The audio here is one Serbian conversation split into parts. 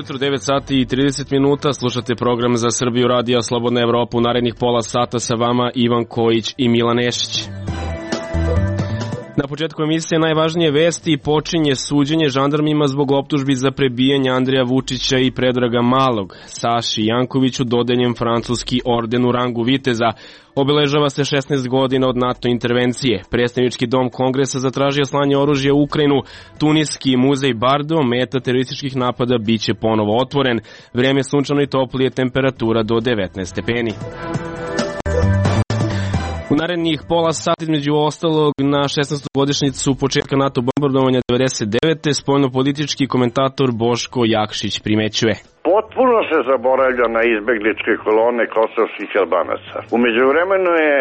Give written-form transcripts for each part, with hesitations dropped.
jutro, 9 sati i 30 minuta, slušate program za Srbiju radija Slobodna Evropa. U narednih pola sata sa vama Ivan Kojić i Milan Nešić. Na početku emisije najvažnije vesti. Počinje suđenje žandarmima zbog optužbi za prebijanje Andreja Vučića i Predraga Malog. Saši Jankoviću dodeljen francuski orden u rangu viteza. Obeležava se 16 godina od NATO intervencije. Predstavnički dom Kongresa zatražio slanje oružja u Ukrajinu. Tuniski muzej Bardo, meta terorističkih napada, biće ponovo otvoren. Vreme sunčano i toplije, temperatura do 19 stepeni. U narednih pola sata, između ostalog, na 16. godišnjicu početka NATO bombardovanja 99. spoljnopolitički komentator Boško Jakšić primećuje. Potpuno se zaboravlja na izbegličke kolone kosovskih Albanaca. U međuvremenu je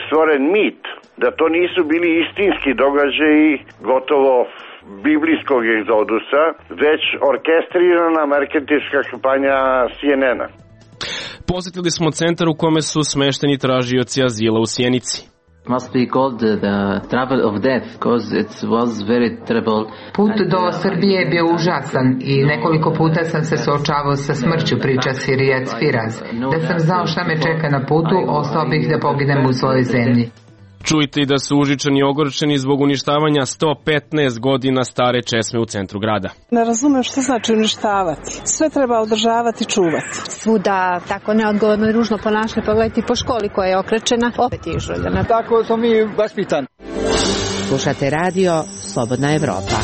stvoren mit da to nisu bili istinski događaji gotovo biblijskog egzodusa, već orkestrirana marketinška kampanja CNN-a. Posjetili smo centar u kome su smešteni tražioci azila u Sjenici. Must be called the travel of death because it was very terrible. Put do Srbije je bio užasan i nekoliko puta sam se suočavao sa smrću, priča Sirijac Firaz. Da sam znao šta me čeka na putu, ostao bih da poginem u svojoj zemlji. Čujte i da su Užičani i ogorčeni zbog uništavanja 115 godina stare česme u centru grada. Ne razumem što znači uništavati. Sve treba održavati i čuvati. Svuda tako neodgovorno i ružno ponašanje, pogledajte po školi koja je okrečena, opet je izžuljena. Tako smo mi vaspitani. Slušate radio Slobodna Evropa.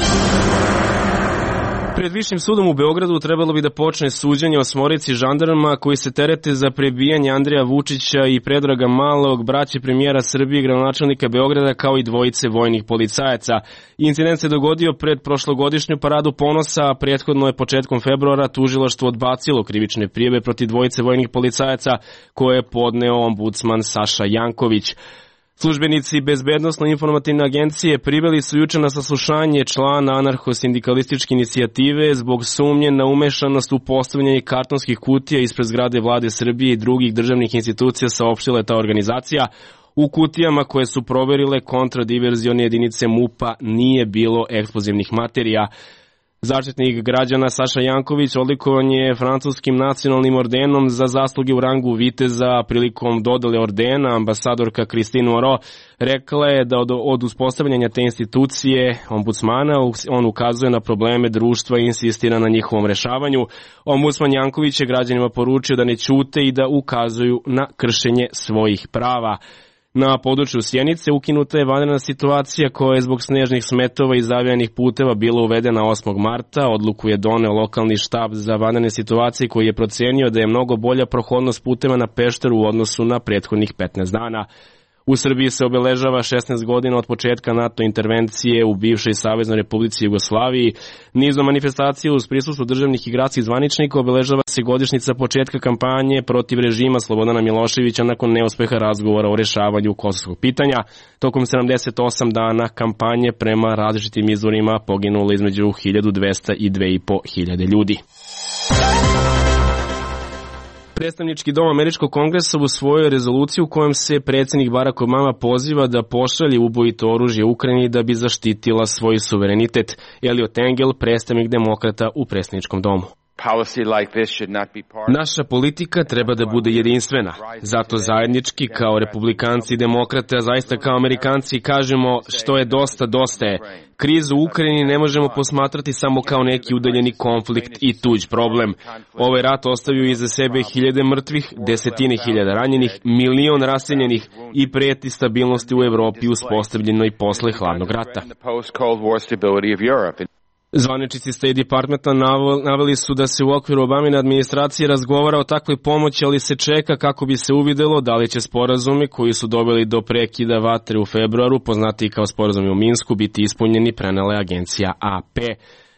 Pred Višim sudom u Beogradu trebalo bi da počne suđenje osmorici žandarma koji se terete za prebijanje Andreja Vučića i Predraga Malog, braće premijera Srbije i gradonačelnika Beograda, kao i dvojice vojnih policajaca. Incident se dogodio pred prošlogodišnju paradu ponosa, a prethodno je početkom februara tužilaštvo odbacilo krivične prijave protiv dvojice vojnih policajaca koje je podneo ombudsman Saša Janković. Službenici Bezbednosno-informativne agencije priveli su juče na saslušanje člana anarcho-sindikalističke inicijative zbog sumnje na umešanost u postavljanje kartonskih kutija ispred zgrade Vlade Srbije i drugih državnih institucija, saopštila je ta organizacija. U kutijama koje su proverile kontradiverzione jedinice MUP-a nije bilo eksplozivnih materija. Zaštitnik građana Saša Janković odlikovan je francuskim nacionalnim ordenom za zasluge u rangu viteza. Prilikom dodele ordena ambasadorka Christine Moreau rekla je da od uspostavljanja te institucije ombudsmana on ukazuje na probleme društva i insistira na njihovom rešavanju. Ombudsman Janković je građanima poručio da ne ćute i da ukazuju na kršenje svojih prava. Na području Sjenice ukinuta je vanredna situacija koja je zbog snežnih smetova i zavijanih puteva bila uvedena 8. marta. Odluku je doneo lokalni štab za vanredne situacije koji je procenio da je mnogo bolja prohodnost puteva na Pešteru u odnosu na prethodnih 15 dana. U Srbiji se obeležava 16 godina od početka NATO intervencije u bivšoj Saveznoj Republici Jugoslaviji. Nizom manifestacija uz prisustvu državnih i gradskih zvaničnika obeležava se godišnjica početka kampanje protiv režima Slobodana Miloševića nakon neuspeha razgovora o rešavanju kosovskog pitanja. Tokom 78 dana kampanje prema različitim izvorima poginulo između 1200 i 2500 ljudi. Predstavnički dom Američkog kongresa usvojio je rezoluciju u kojem se predsjednik Barack Obama poziva da pošalje ubojito oružje Ukrajini da bi zaštitila svoj suverenitet. Eliot Engel, predstavnik demokrata u predsjedničkom domu. Naša politika treba da bude jedinstvena. Zato zajednički kao republikanci i demokrate, a zaista kao Amerikanci kažemo što je dosta, dosta je. Krizu u Ukrajini ne možemo posmatrati samo kao neki udaljeni konflikt i tuđ problem. Ovaj rat ostavio iza sebe hiljade mrtvih, desetine hiljada ranjenih, milion raseljenih i preti stabilnosti u Evropi uspostavljenoj posle hladnog rata. Zvaničnici State Departmenta naveli su da se u okviru Obamine administracije razgovara o takvoj pomoći, ali se čeka kako bi se uvidelo da li će sporazumi koji su doveli do prekida vatre u februaru, poznati kao sporazumi u Minsku, biti ispunjeni, prenela je agencija AP.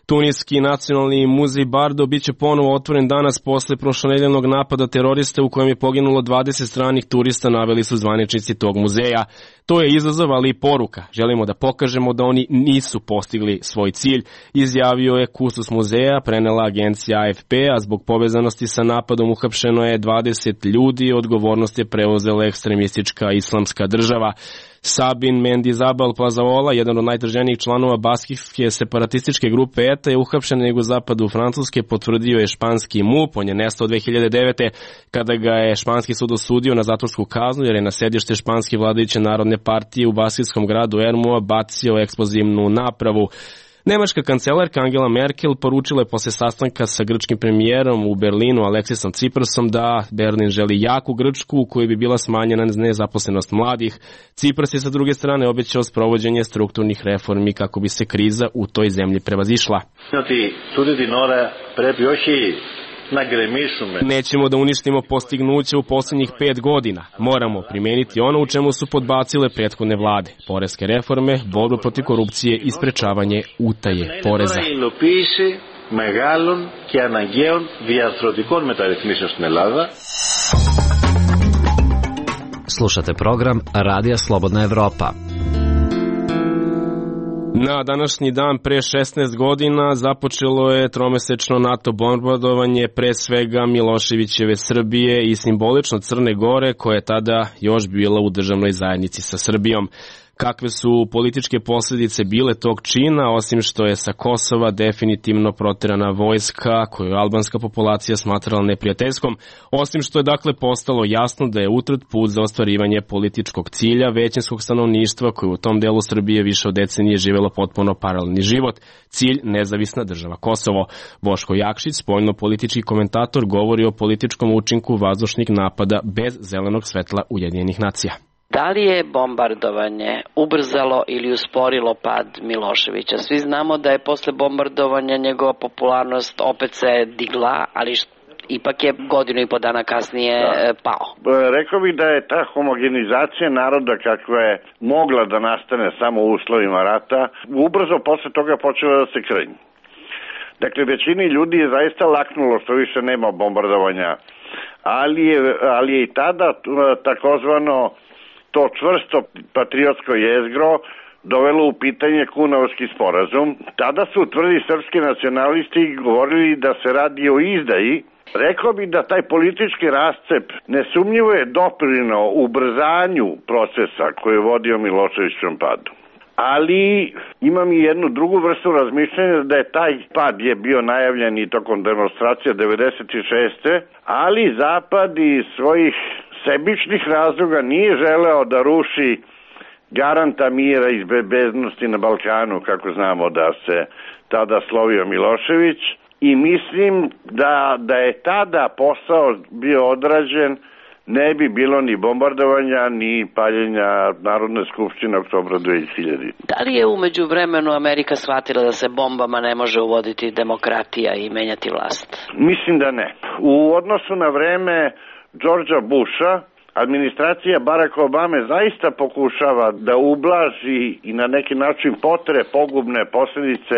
Tuniski nacionalni muzej Bardo biće ponovo otvoren danas posle prošlonedeljnog napada terorista u kojem je poginulo 20 stranih turista, naveli su zvaničnici tog muzeja. To je izazov, ali i poruka. Želimo da pokažemo da oni nisu postigli svoj cilj, izjavio je kustos muzeja, prenela agencija AFP, a zbog povezanosti sa napadom uhapšeno je 20 ljudi, odgovornost je preuzela ekstremistička islamska država. Sabin Mendizabal Plazaola, jedan od najtraženijih članova baskijske separatističke grupe ETA, je uhapšen na jugozapadu Francuske, potvrdio je španski MUP. On je nestao 2009. kada ga je španski sud osudio na zatvorsku kaznu jer je na sedište španske vladajuće narodne partije u baskijskom gradu Ermua bacio eksplozivnu napravu. Nemačka kancelarka Angela Merkel poručila je posle sastanka sa grčkim premijerom u Berlinu Aleksisom Tsiprasom da Berlin želi jaku Grčku u kojoj bi bila smanjena nezaposlenost mladih. Tsipras je sa druge strane obećao sprovođenje strukturnih reformi kako bi se kriza u toj zemlji prevazišla. Nećemo da uništimo postignuće u posljednjih 5 godina. Moramo primeniti ono u čemu su podbacile prethodne vlade. Poreske reforme, borbu protiv korupcije i sprečavanje utaje poreza. Slušate program Radija Slobodna Evropa. Na današnji dan pre 16 godina započelo je tromesečno NATO bombardovanje pre svega Miloševićeve Srbije i simbolično Crne Gore, koja je tada još bila u državnoj zajednici sa Srbijom. Kakve su političke posljedice bile tog čina, osim što je sa Kosova definitivno proterana vojska koju je albanska populacija smatrala neprijateljskom, osim što je dakle postalo jasno da je utrt put za ostvarivanje političkog cilja većinskog stanovništva koje u tom delu Srbije više od decenije živelo potpuno paralelni život, cilj nezavisna država Kosovo. Boško Jakšić, spoljno-politički komentator, govori o političkom učinku vazdušnih napada bez zelenog svetla Ujedinjenih nacija. Da li je bombardovanje ubrzalo ili usporilo pad Miloševića? Svi znamo da je posle bombardovanja njegova popularnost opet se digla, ali ipak je godinu i po dana kasnije pao. Rekao bih da je ta homogenizacija naroda kakva je mogla da nastane samo u uslovima rata, ubrzo posle toga počela da se krnji. Dakle, većini ljudi je zaista laknulo što više nema bombardovanja, ali je i tada takozvano to čvrsto patriotsko jezgro dovelo u pitanje Kunovski sporazum. Tada su tvrdi srpski nacionalisti govorili da se radi o izdaji. Rekao bi da taj politički rascep nesumnjivo je doprineo ubrzanju procesa koji je vodio Miloševićevom padu. Ali imam i jednu drugu vrstu razmišljanja da je taj pad je bio najavljen i tokom demonstracija 96. Ali Zapad iz svojih sebičnih razloga nije želeo da ruši garanta mira i bezbednosti na Balkanu, kako znamo da se tada slovio Milošević, i mislim da je tada posao bio odrađen, ne bi bilo ni bombardovanja, ni paljenja Narodne skupštine oktobra 2000. Da li je umeđu vremenu Amerika shvatila da se bombama ne može uvoditi demokratija i menjati vlast? Mislim da ne. U odnosu na vreme Georgea Busha, administracija Baracka Obame zaista pokušava da ublaži i na neki način potre pogubne posljedice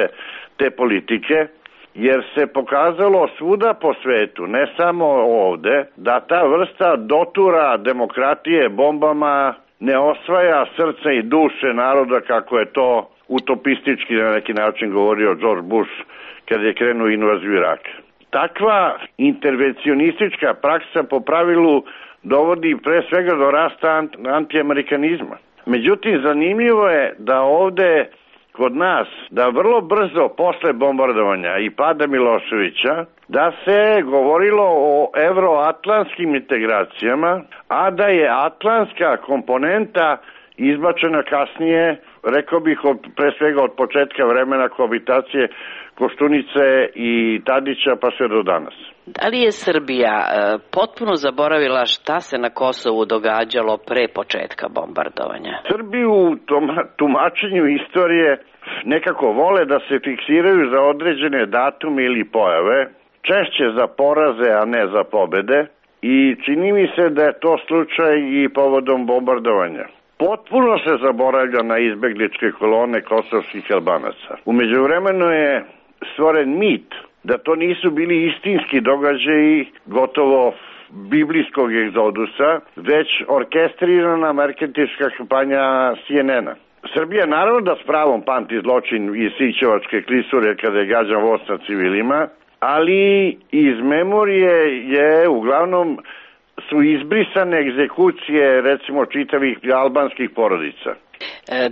te politike, jer se pokazalo svuda po svetu, ne samo ovde, da ta vrsta dotura demokratije bombama ne osvaja srce i duše naroda kako je to utopistički na neki način govorio George Bush kad je krenuo invaziju Iraka. Takva intervencionistička praksa po pravilu dovodi pre svega do rasta antiamerikanizma. Međutim, zanimljivo je da ovde kod nas, da vrlo brzo posle bombardovanja i pada Miloševića, da se govorilo o evroatlantskim integracijama, a da je atlantska komponenta izbačena kasnije, rekao bih pre svega od početka vremena kohabitacije Koštunice i Tadića pa sve do danas. Da li je Srbija potpuno zaboravila šta se na Kosovu događalo pre početka bombardovanja? Srbi u tumačenju istorije nekako vole da se fiksiraju za određene datume ili pojave, češće za poraze, a ne za pobede, i čini mi se da je to slučaj i povodom bombardovanja. Potpuno se zaboravlja na izbegličke kolone kosovskih Albanaca. U međuvremenu je stvoren mit da to nisu bili istinski događaji gotovo biblijskog egzodusa, već orkestrirana marketinška kampanja CNN-a. Srbija naravno da s pravom pamti zločin iz Sićevačke klisure kada je gađan voz na civilima, ali iz memorije je uglavnom su izbrisane egzekucije, recimo, čitavih albanskih porodica.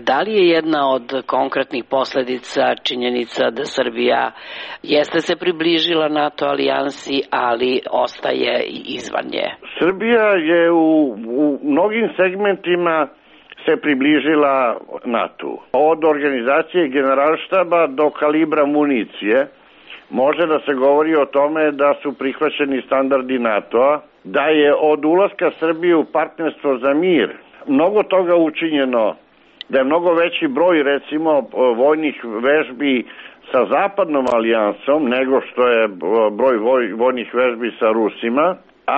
Da li je jedna od konkretnih posledica činjenica da Srbija jeste se približila NATO alijansi, ali ostaje izvan nje? Srbija je u mnogim segmentima se približila NATO. Od organizacije generalštaba do kalibra municije može da se govori o tome da su prihvaćeni standardi NATO-a, da je od ulaska Srbije u partnerstvo za mir mnogo toga učinjeno, da je mnogo veći broj, recimo, vojnih vežbi sa zapadnom alijansom nego što je broj vojnih vežbi sa Rusima,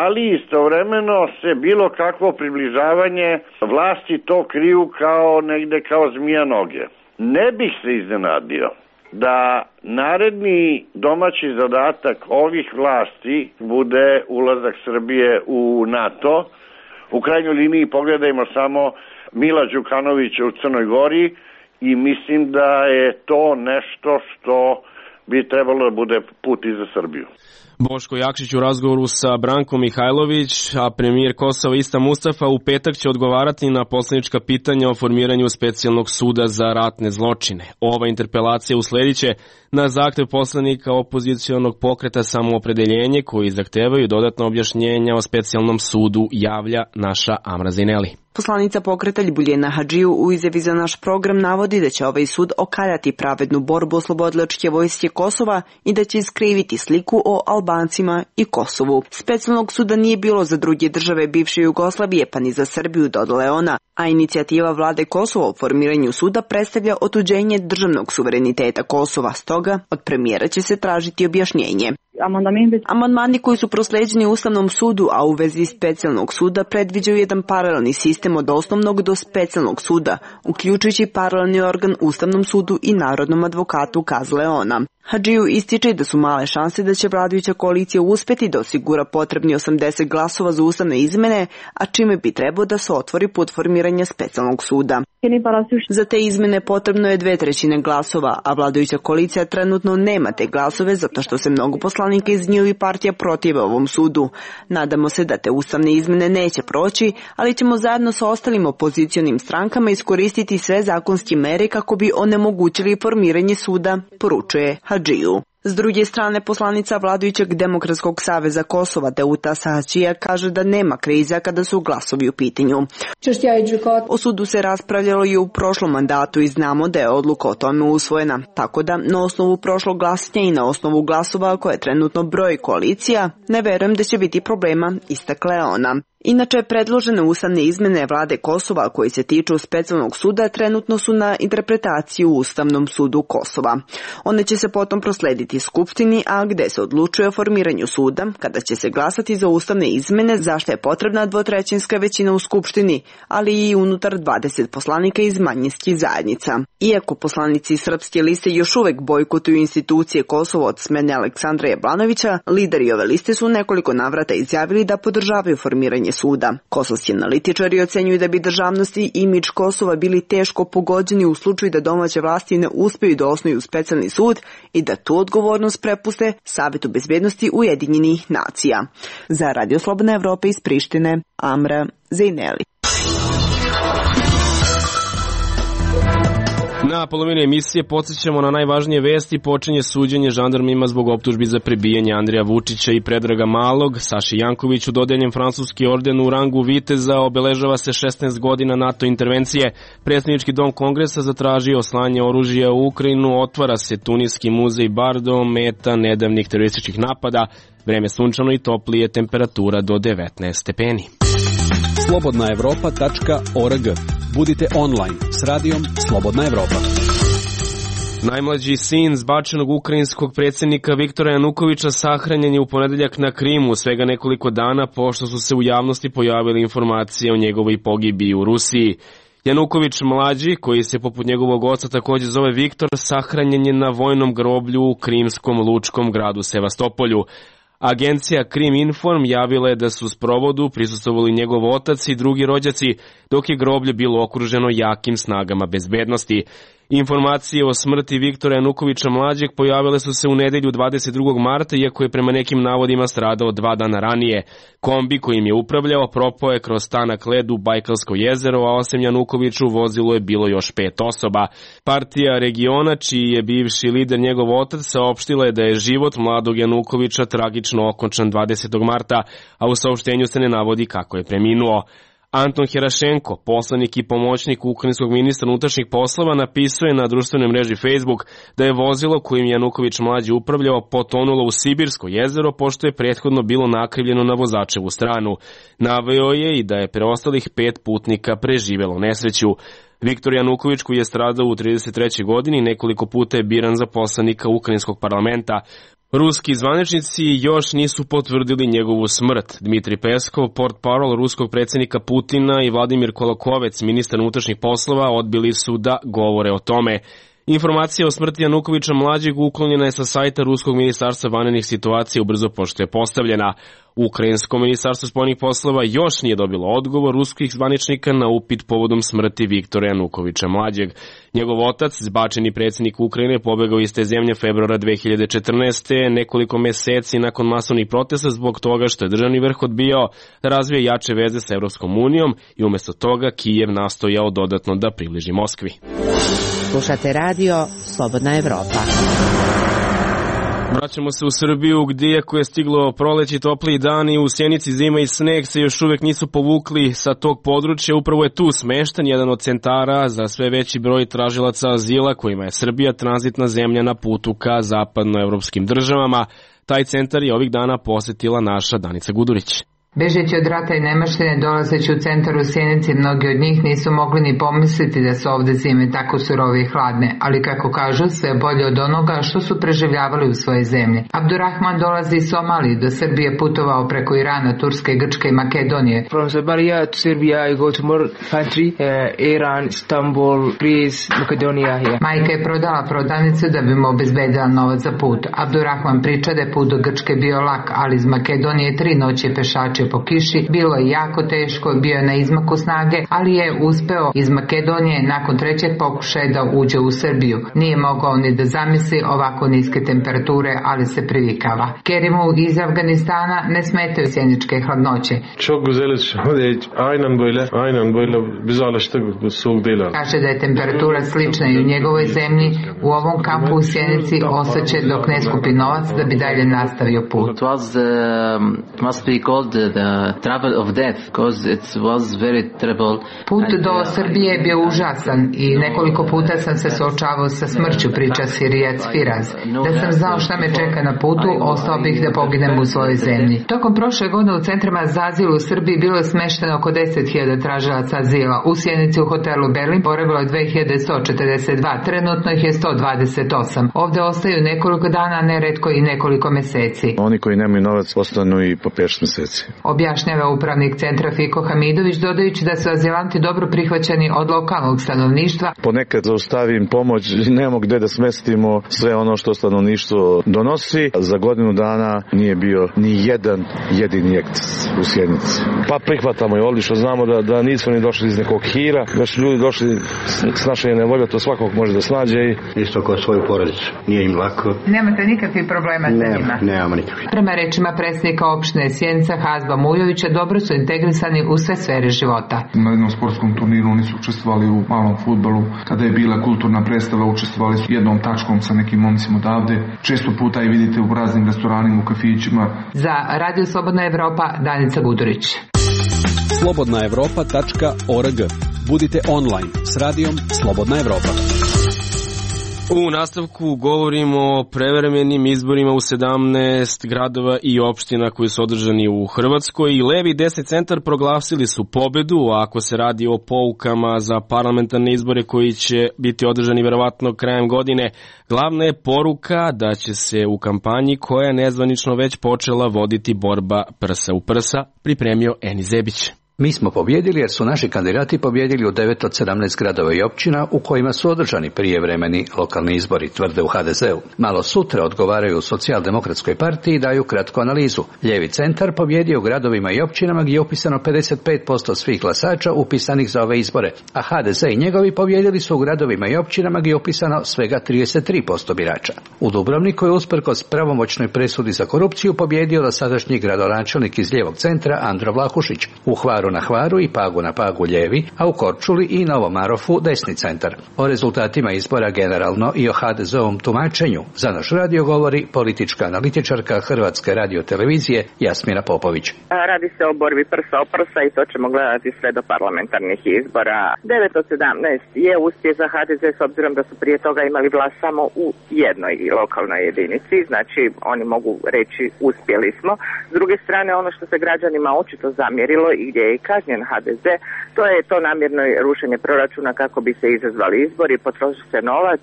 ali istovremeno se bilo kakvo približavanje vlasti to kriju kao negde kao zmija noge. Ne bih se iznenadio da naredni domaći zadatak ovih vlasti bude ulazak Srbije u NATO. U krajnjoj liniji pogledajmo samo Mila Đukanovića u Crnoj Gori i mislim da je to nešto što bi trebalo da bude put i za Srbiju. Boško Jakšić u razgovoru sa Brankom Mihajlović, a premijer Kosova Ista Mustafa u petak će odgovarati na poslanička pitanja o formiranju specijalnog suda za ratne zločine. Ova interpelacija uslediće na zahtev poslanika opozicionog pokreta Samoopredeljenje koji zahtevaju dodatno objašnjenja o specijalnom sudu, javlja naša Amra Zineli. Poslanica pokreta Ljubiljana Hadžiju u izjavi za naš program navodi da će ovaj sud okaljati pravednu borbu oslobodilačke vojske Kosova i da će iskriviti sliku o Albancima i Kosovu. Specijalnog suda nije bilo za druge države bivše Jugoslavije, pa ni za Srbiju, dodala je ona, a inicijativa vlade Kosova o formiranju suda predstavlja otuđenje državnog suvereniteta Kosova, stoga od premijera će se tražiti objašnjenje. Amandmani koji su prosleđeni Ustavnom sudu, a u vezi specijalnog suda predviđaju jedan paralelni sistem od osnovnog do specijalnog suda, uključujući paralelni organ Ustavnom sudu i Narodnom advokatu, kazala je ona. Hadžiju ističe da su male šanse da će vladajuća koalicija uspeti da osigura potrebni 80 glasova za ustavne izmene, a čime bi trebao da se otvori put formiranja specijalnog suda. Za te izmene potrebno je 2/3 glasova, a vladajuća koalicija trenutno nema te glasove zato što se mnogo poslanika iz njihovih partija protive ovom sudu. Nadamo se da te ustavne izmene neće proći, ali ćemo zajedno sa ostalim opozicionim strankama iskoristiti sve zakonske mere kako bi onemogućili formiranje suda, poručuje Hadžiju. S druge strane, poslanica vladajućeg Demokratskog saveza Kosova Teuta Sahačija kaže da nema kriza kada su glasovi u pitanju. O sudu se raspravljalo i u prošlom mandatu i znamo da je odluka o tome usvojena, tako da na osnovu prošlog glasanja i na osnovu glasova koje trenutno broji koalicija, ne verujem da će biti problema, istakla je ona. Inače, predložene ustavne izmene vlade Kosova koji se tiču specijalnog suda trenutno su na interpretaciji u Ustavnom sudu Kosova. One će se potom proslediti Skupštini, a gde se odlučuje o formiranju suda, kada će se glasati za ustavne izmene, zašto je potrebna 2/3 većina u Skupštini, ali i unutar 20 poslanika iz manjinskih zajednica. Iako poslanici Srpske liste još uvek bojkotuju institucije Kosova od smene Aleksandra Jablanovića, lideri ove liste su nekoliko navrata izjavili da podržavaju formiranje suda. Kosovski analitičari ocenjuju da bi državnost i imidž Kosova bili teško pogođeni u slučaju da domaće vlasti ne uspeju da osnuju specijalni sud i da tu odgovornost prepuste Savetu bezbednosti Ujedinjenih nacija. Za Radio Slobodna Evropa iz Prištine, Amra Zejneli. Na polovini emisije podsjećamo na najvažnije vesti. Počinje suđenje žandarmima zbog optužbi za prebijanje Andreja Vučića i Predraga Malog. Saši Jankoviću dodeljen francuski orden u rangu viteza, obeležava se 16 godina NATO intervencije. Predsjednički dom Kongresa zatražio slanje oružja u Ukrajinu, otvara se Tuniski muzej Bardo, meta nedavnih terorističkih napada. Vreme sunčano i toplije, temperatura do 19 stepeni. slobodnaevropa.org. Budite online s radijom Slobodna Evropa. Najmlađi sin zbačenog ukrajinskog predsjednika Viktora Janukovića sahranjen je u ponedeljak na Krimu, svega nekoliko dana pošto su se u javnosti pojavile informacije o njegovoj pogibiji u Rusiji. Januković mlađi, koji se poput njegovog oca također zove Viktor, sahranjen je na vojnom groblju u krimskom lučkom gradu Sevastopolju. Agencija Krim Inform javila je da su u sprovodu prisustvovali njegov otac i drugi rođaci, dok je groblje bilo okruženo jakim snagama bezbednosti. Informacije o smrti Viktora Janukovića mlađeg pojavile su se u nedelju 22. marta, iako je prema nekim navodima stradao 2 dana ranije. Kombi kojim je upravljao propao je kroz tanak led u Bajkalsko jezero, a osim Janukoviću u vozilu je bilo još 5 osoba. Partija regiona, čiji je bivši lider njegov otac, saopštila je da je život mladog Janukovića tragično okončan 20. marta, a u saopštenju se ne navodi kako je preminuo. Anton Herašenko, poslanik i pomoćnik ukrajinskog ministra unutrašnjih poslova, napisao je na društvenoj mreži Facebook da je vozilo kojim Januković mlađi upravljao potonulo u Sibirsko jezero, pošto je prethodno bilo nakrivljeno na vozačevu stranu. Naveo je i da je preostalih 5 putnika preživelo nesreću. Viktor Januković, koji je stradao u 33. godini, nekoliko puta je biran za poslanika ukrajinskog parlamenta. Ruski zvaničnici još nisu potvrdili njegovu smrt. Dmitri Peskov, portparol ruskog predsjednika Putina, i Vladimir Kolokovec, ministar unutrašnjih poslova, odbili su da govore o tome. Informacija o smrti Janukovića mlađeg uklonjena je sa sajta Ruskog ministarstva vanrednih situacija ubrzo pošto je postavljena. Ukrajinsko ministarstvo spoljnih poslova još nije dobilo odgovor ruskih zvaničnika na upit povodom smrti Viktora Janukovića mlađeg. Njegov otac, zbačeni predsjednik Ukrajine, pobegao iz te zemlje februara 2014. nekoliko meseci nakon masovnih protesta zbog toga što je državni vrh odbijao da razvije jače veze sa Evropskom unijom i umjesto toga Kijev nastojao dodatno da približi Moskvi. Slušate radio Slobodna Evropa. Vraćamo se u Srbiju gdje, iako je stiglo proleći, topliji dani, u Sjenici zima i sneg se još uvijek nisu povukli sa tog područja. Upravo je tu smešten jedan od centara za sve veći broj tražilaca azila kojima je Srbija tranzitna zemlja na putu ka zapadnoevropskim državama. Taj centar je ovih dana posjetila naša Danica Gudurić. Bežeći od rata i nemaštine, dolazeći u centar u Sjenici, mnogi od njih nisu mogli ni pomisliti da su ovde zime tako surove i hladne, ali kako kažu, sve bolje od onoga što su preživljavali u svojoj zemlji. Abdurrahman dolazi iz Somalije, do Srbije putovao preko Irana, Turske, Grčke i Makedonije. From Somalia to Serbia I go to more country, Iran, Istanbul, Greece, Makedonija. Majka je prodala prodavnicu da bi mu obezbedila novac za put. Abdurrahman priča da je put do Grčke bio lak, ali iz Makedonije 3 noći pešači po kiši, bilo je jako teško, bio je na izmaku snage, ali je uspeo iz Makedonije nakon 3. pokušaja da uđe u Srbiju. Nije mogao ni da zamisli ovako niske temperature, ali se privikava. Kerimu iz Afganistana ne smetaju sjeničke hladnoće. Kaže da je temperatura slična i u njegovoj zemlji. U ovom kampu u Sjenici ostaće dok ne skupi novac da bi dalje nastavio put. The travel of death, because it was very terrible. Put do Srbije je bio užasan i nekoliko puta sam se suočavao sa smrću, priča Sirijac Firaz. Da sam znao šta me čeka na putu, ostao bih da poginem u svojoj zemlji. Tokom prošle godine u centrima za azil u Srbiji bilo je smešteno oko 10.000 tražilaca azila. U Sjenici u hotelu Berlin boravilo je 2142, trenutno ih je 128. Ovde ostaju nekoliko dana, neretko i nekoliko meseci. Oni koji nemaju novac ostanu i po 5 meseci. Objašnjava upravnik centra Fiko Hamidović, dodajući da su azilanti dobro prihvaćeni od lokalnog stanovništva. Ponekad zaustavim pomoć, nemamo gde da smestimo sve ono što stanovništvo donosi. Za godinu dana nije bio ni jedan jedini eksces u Sjenici. Pa prihvatamo je odlično, znamo da nismo ni došli iz nekog hira, da su ljudi došli s naše nevolje, to svakog može da snađe. Isto kao svoju porodicu, nije im lako. Nemate nikakvih problema sa njima? Nemamo nikakvih. Prema rečima predsjednika opštine Sjenica Hazba Mujovića, dobro su integrisani u sve sfere života. Na jednom sportskom turniru oni su učestvovali u malom fudbalu. Kada je bila kulturna predstava, učestvovali su jednom tačkom sa nekim momcima odavde. Često puta i vidite u raznim restoranima, u kafićima. Za Radio Slobodna Evropa, Danica Gudurić. slobodnaevropa.org. Budite online s radijom Slobodna Evropa. U nastavku govorimo o prevremenim izborima u 17 gradova i opština koji su održani u Hrvatskoj i levi i desni centar proglasili su pobedu, a ako se radi o poukama za parlamentarne izbore koji će biti održani verovatno krajem godine, glavna je poruka da će se u kampanji koja je nezvanično već počela voditi borba prsa u prsa, pripremio Eni Zebić. Mi smo pobjedili jer su naši kandidati pobjedili u 9 od 17 gradova i općina u kojima su održani prijevremeni lokalni izbori, tvrde u HDZ-u. Malo sutra odgovaraju u Socijaldemokratskoj partiji i daju kratku analizu. Lijevi centar pobjedio u gradovima i općinama gdje je upisano 55% svih glasača upisanih za ove izbore, a HDZ i njegovi pobjedili su u gradovima i općinama gdje je upisano svega 33% birača. U Dubrovniku je usprkos pravomoćnoj presudi za korupciju pobjedio dosadašnji gradonačelnik iz lijevog centra Andro Vlahušić. U Hvaru na Hvaru i Pagu na Pagu lijevi, a u Korčuli i Novom Marofu desni centar. O rezultatima izbora generalno i o HDZ-ovom tumačenju za naš radio govori politička analitičarka Hrvatske radiotelevizije Jasmina Popović. Radi se o borbi prsa o prsa i to ćemo gledati sve do parlamentarnih izbora. 9 od 17 je uspjeh za HDZ s obzirom da su prije toga imali vlast samo u jednoj lokalnoj jedinici, znači oni mogu reći uspjeli smo. S druge strane, ono što se građanima očito zamjerilo i gdje je kažnjen HDZ, to je to namjerno rušenje proračuna kako bi se izazvali izbori, potroši se novac,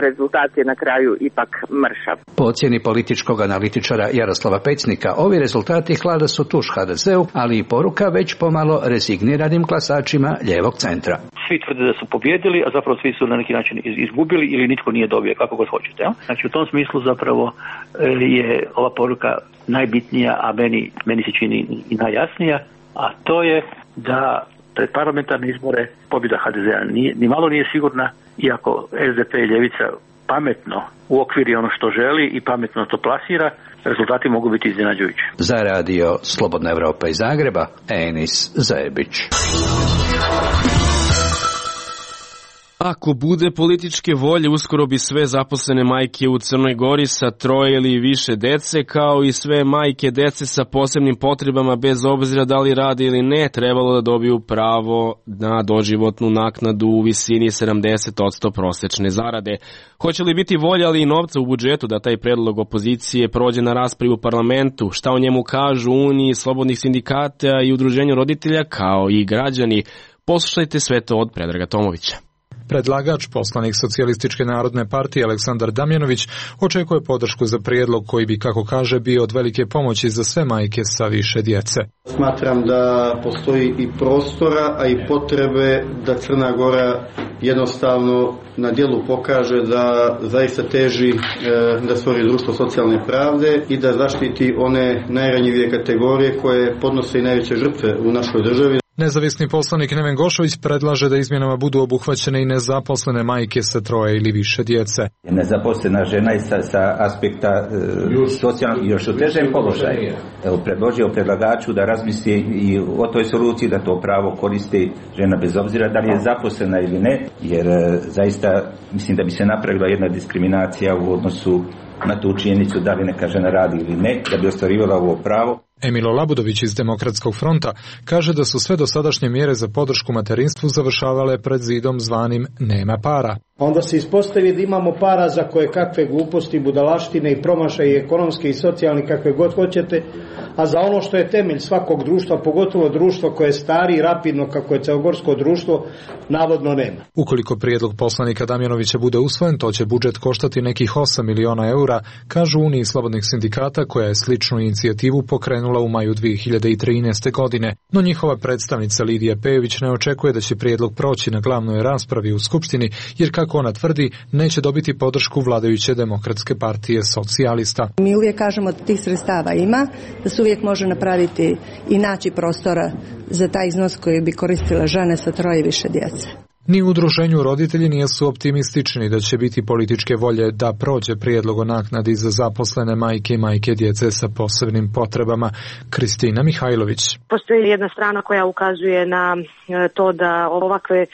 rezultat je na kraju ipak mršav. Po ocjeni političkog analitičara Jaroslava Pecnika, ovi rezultati hlada su tuš HDZ-u, ali i poruka već pomalo rezigniranim glasačima lijevog centra. Svi tvrde da su pobjedili, a zapravo svi su na neki način izgubili ili nitko nije dobio, kako god hoćete. Ja? Znači u tom smislu zapravo je ova poruka najbitnija, a meni se čini i najjasnija, a to je da pred parlamentarne izbore pobjeda HDZ-a ni malo nije sigurna, iako SDP i ljevica pametno uokviri ono što želi i pametno to plasira, rezultati mogu biti iznenađujući. Za radio Slobodna Evropa iz Zagreba, Enis Zajebić. Ako bude političke volje, uskoro bi sve zaposlene majke u Crnoj Gori sa 3 ili više dece, kao i sve majke dece sa posebnim potrebama, bez obzira da li rade ili ne, trebalo da dobiju pravo na doživotnu naknadu u visini 70% prosečne zarade. Hoće li biti volja, ali i novca u budžetu da taj predlog opozicije prođe na raspravi u parlamentu? Šta o njemu kažu Uniji slobodnih sindikata i Udruženju roditelja, kao i građani? Poslušajte sve to od Predraga Tomovića. Predlagač, poslanik Socijalističke narodne partije Aleksandar Damjanović, očekuje podršku za prijedlog koji bi, kako kaže, bio od velike pomoći za sve majke sa više djece. Smatram da postoji i prostora, a i potrebe da Crna Gora jednostavno na djelu pokaže da zaista teži da stvori društvo socijalne pravde i da zaštiti one najranjivije kategorije koje podnose i najveće žrtve u našoj državi. Nezavisni poslanik Neven Gošović predlaže da izmjenama budu obuhvaćene i nezaposlene majke sa 3 ili više djece. Nezaposlena žena je sa aspekta socijalnog još u težem položaju. Predložio predlagaču da razmisli i o toj soluciji, da to pravo koristi žena bez obzira da li je zaposlena ili ne, jer zaista mislim da bi se napravila jedna diskriminacija u odnosu na tu činjenicu da li neka žena radi ili ne, da bi ostvarivala ovo pravo. Emilo Labudović iz Demokratskog fronta kaže da su sve dosadašnje mjere za podršku materinstvu završavale pred zidom zvanim nema para. Onda se ispostavi da imamo para za koje kakve gluposti, budalaštine i promašaje ekonomske i socijalne kakve god hoćete, a za ono što je temelj svakog društva, pogotovo društva koje je stari i rapidno kako je crnogorsko društvo, navodno nema. Ukoliko prijedlog poslanika Damjanovića bude usvojen, to će budžet koštati nekih 8 miliona eura, kažu Uniji slobodnih sindikata, koja je sličnu inicijativu pokrenula u maju 2013. godine. No njihova predstavnica Lidija Pejović ne očekuje da će prijedlog proći na glavnoj raspravi u Skupštini, jer kako ona tvrdi, neće dobiti podršku vladajuće Demokratske partije socijalista. Mi uvijek kažemo da tih sredstava ima, da se uvijek može napraviti i naći prostora za taj iznos koji bi koristila žene sa 3 i više djece. Ni u udruženju roditelji nisu optimistični da će biti političke volje da prođe prijedlog o naknadi za zaposlene majke i majke djece sa posebnim potrebama. Kristina Mihajlović. Postoji jedna strana koja ukazuje na to da ovakve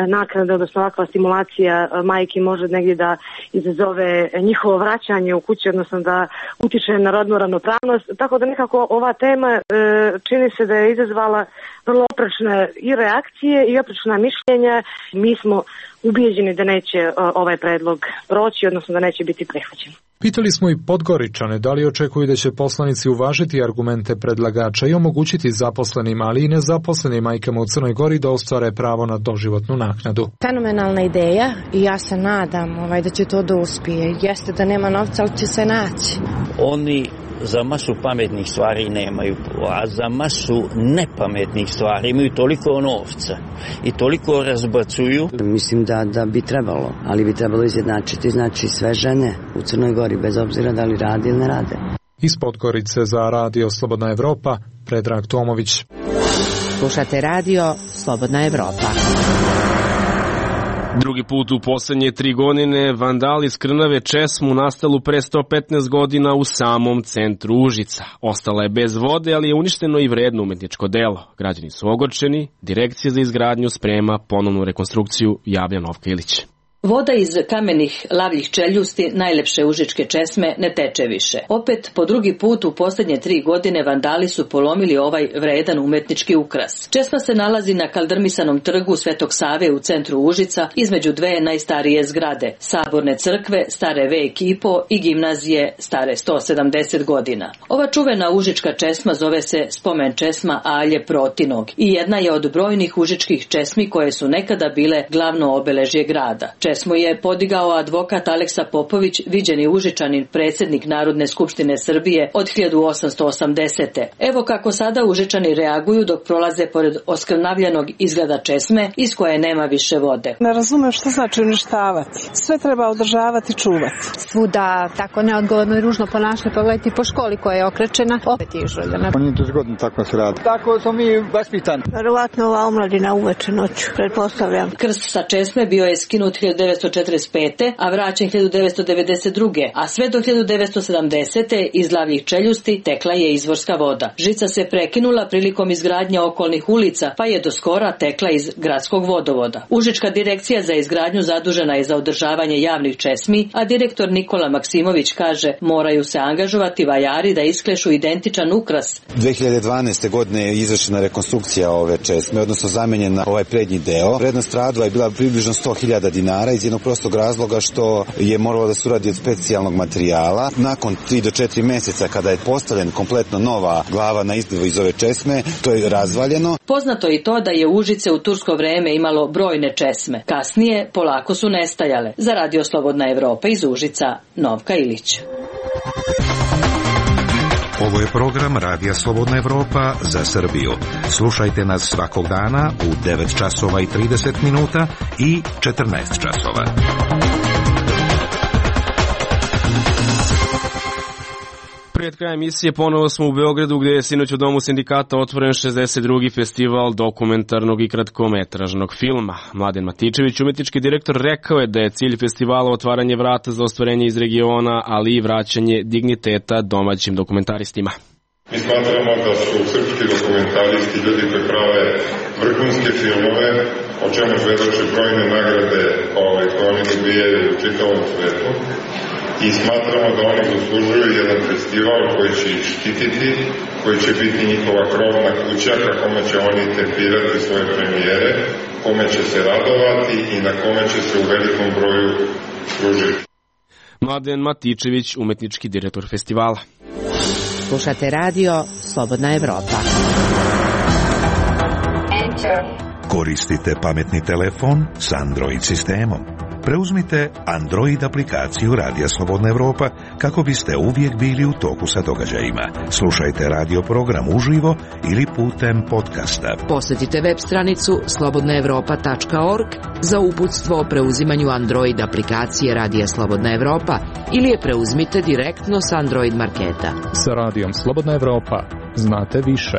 naknade, odnosno ovakva stimulacija majki može negdje da izazove njihovo vraćanje u kući, odnosno da utiče na rodnu ravnopravnost. Tako da nekako ova tema čini se da je izazvala vrlo oprečne i reakcije i oprečna mišljenja. Mi smo ubijeđeni da neće ovaj predlog proći, odnosno da neće biti prihvaćen. Pitali smo i Podgoričane da li očekuju da će poslanici uvažiti argumente predlagača i omogućiti zaposlenim, ali i nezaposlenim majkama u Crnoj Gori da ostvare pravo na doživotnu naknadu. Fenomenalna ideja i ja se nadam da će to da uspije. Jeste da nema novca, ali će se naći. Oni za masu pametnih stvari nemaju, a za masu nepametnih stvari imaju toliko novca i toliko razbacuju. Mislim da bi trebalo, ali bi trebalo izjednačiti, znači sve žene u Crnoj Gori, bez obzira da li radi ili ne rade. Iz Podgorice za Radio Slobodna Evropa, Predrag Tomović. Slušate Radio Slobodna Evropa. Drugi put u poslednje 3 godine vandali skrnave česmu nastalu pre 115 godina u samom centru Užica. Ostala je bez vode, ali je uništeno i vredno umetničko delo. Građani su ogorčeni, Direkcija za izgradnju sprema ponovnu rekonstrukciju, javlja Novka Ilić. Voda iz kamenih lavljih čeljusti najlepše užičke česme ne teče više. Opet, po drugi put u posljednje 3 godine vandali su polomili ovaj vredan umetnički ukras. Česma se nalazi na kaldrmisanom trgu Svetog Save u centru Užica, između dve najstarije zgrade, Saborne crkve, stare vek i po, i gimnazije, stare 170 godina. Ova čuvena užička česma zove se spomen česma Alje Protinog i jedna je od brojnih užičkih česmi koje su nekada bile glavno obeležje grada. Česmu je podigao advokat Aleksa Popović, viđeni Užičanin, predsjednik Narodne skupštine Srbije od 1880. Evo kako sada Užičani reaguju dok prolaze pored oskrnavljenog izgleda česme iz koje nema više vode. Ne razumem što znači uništavati. Sve treba održavati i čuvati. Svuda tako neodgovorno i ružno ponašanje, pogledajte po školi koja je okrečena, opet je izžuljena. Nije to zgodno tako se radi. Tako smo mi vaspitani. Verovatno ova omladina uveče noću, pretpostavljam. Krst sa česme bio je skinut 1945. a vraćen 1992. a sve do 1970. iz lavljih čeljusti tekla je izvorska voda. Žica se prekinula prilikom izgradnje okolnih ulica, pa je do skora tekla iz gradskog vodovoda. Užička direkcija za izgradnju zadužena je za održavanje javnih česmi, a direktor Nikola Maksimović kaže moraju se angažovati vajari da isklešu identičan ukras. 2012. godine je izvršena rekonstrukcija ove česme, odnosno zamenjen ovaj prednji deo. Vrednost radova je bila približno 100.000 dinara iz jednog prostog razloga što je moralo da se uradi od specijalnog materijala. Nakon 3 do 4 meseca kada je postavljen kompletno nova glava na izgled iz ove česme, to je razvaljeno. Poznato je i to da je Užice u tursko vreme imalo brojne česme. Kasnije polako su nestajale. Za Radio Slobodna Evropa iz Užica, Novka Ilić. Ovo je program Radija Slobodna Evropa za Srbiju. Slušajte nas svakog dana u 9 časova i 30 minuta i 14 časova. Pred krajem emisije ponovo smo u Beogradu gdje je sinoć u Domu sindikata otvoren 62. festival dokumentarnog i kratkometražnog filma. Mladen Matičević, umetnički direktor, rekao je da je cilj festivala otvaranje vrata za ostvarenje iz regiona, ali i vraćanje digniteta domaćim dokumentaristima. Mi smatramo da su srpski dokumentaristi ljudi koji prave vrhunske filmove, o čemu svedoče brojne nagrade koje oni dobijaju u čitavom svetu. I smatramo da oni zaslužuju jedan festival koji će ih štititi, koji će biti njihova krovna kuća, kome će oni tempirati svoje premijere, kome će se radovati i na kome će se u velikom broju služiti. Mladen Matičević, umetnički direktor festivala. Slušate Radio Slobodna Evropa. Koristite pametni telefon s Android sistemom. Preuzmite Android aplikaciju Radija Slobodna Evropa kako biste uvijek bili u toku sa događajima. Slušajte radio program uživo ili putem podcasta. Posjetite web stranicu slobodnaevropa.org za uputstvo o preuzimanju Android aplikacije Radija Slobodna Evropa ili je preuzmite direktno s Android marketa. Sa Radijom Slobodna Evropa znate više.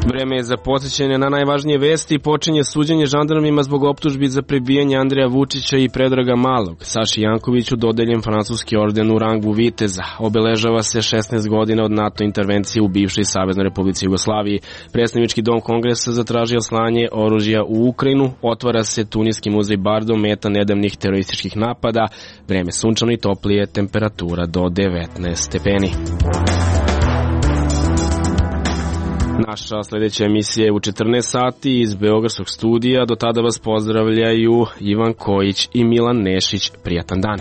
Vreme je za podsjećanje na najvažnije vesti. Počinje suđenje žandarmima zbog optužbi za prebijanje Andreja Vučića i Predraga Malog. Saši Jankoviću dodeljen francuski orden u rangu viteza. Obeležava se 16 godina od NATO intervencije u bivšoj Saveznoj Republici Jugoslaviji. Predstavnički dom Kongresa zatražio slanje oružja u Ukrajinu. Otvara se Tuniski muzej Bardo, meta nedavnih terorističkih napada. Vreme sunčano i toplije, temperatura do 19 stepeni. Naša sljedeća emisija je u 14 sati iz Beogradskog studija. Do tada vas pozdravljaju Ivan Kojić i Milan Nešić. Prijatan dan.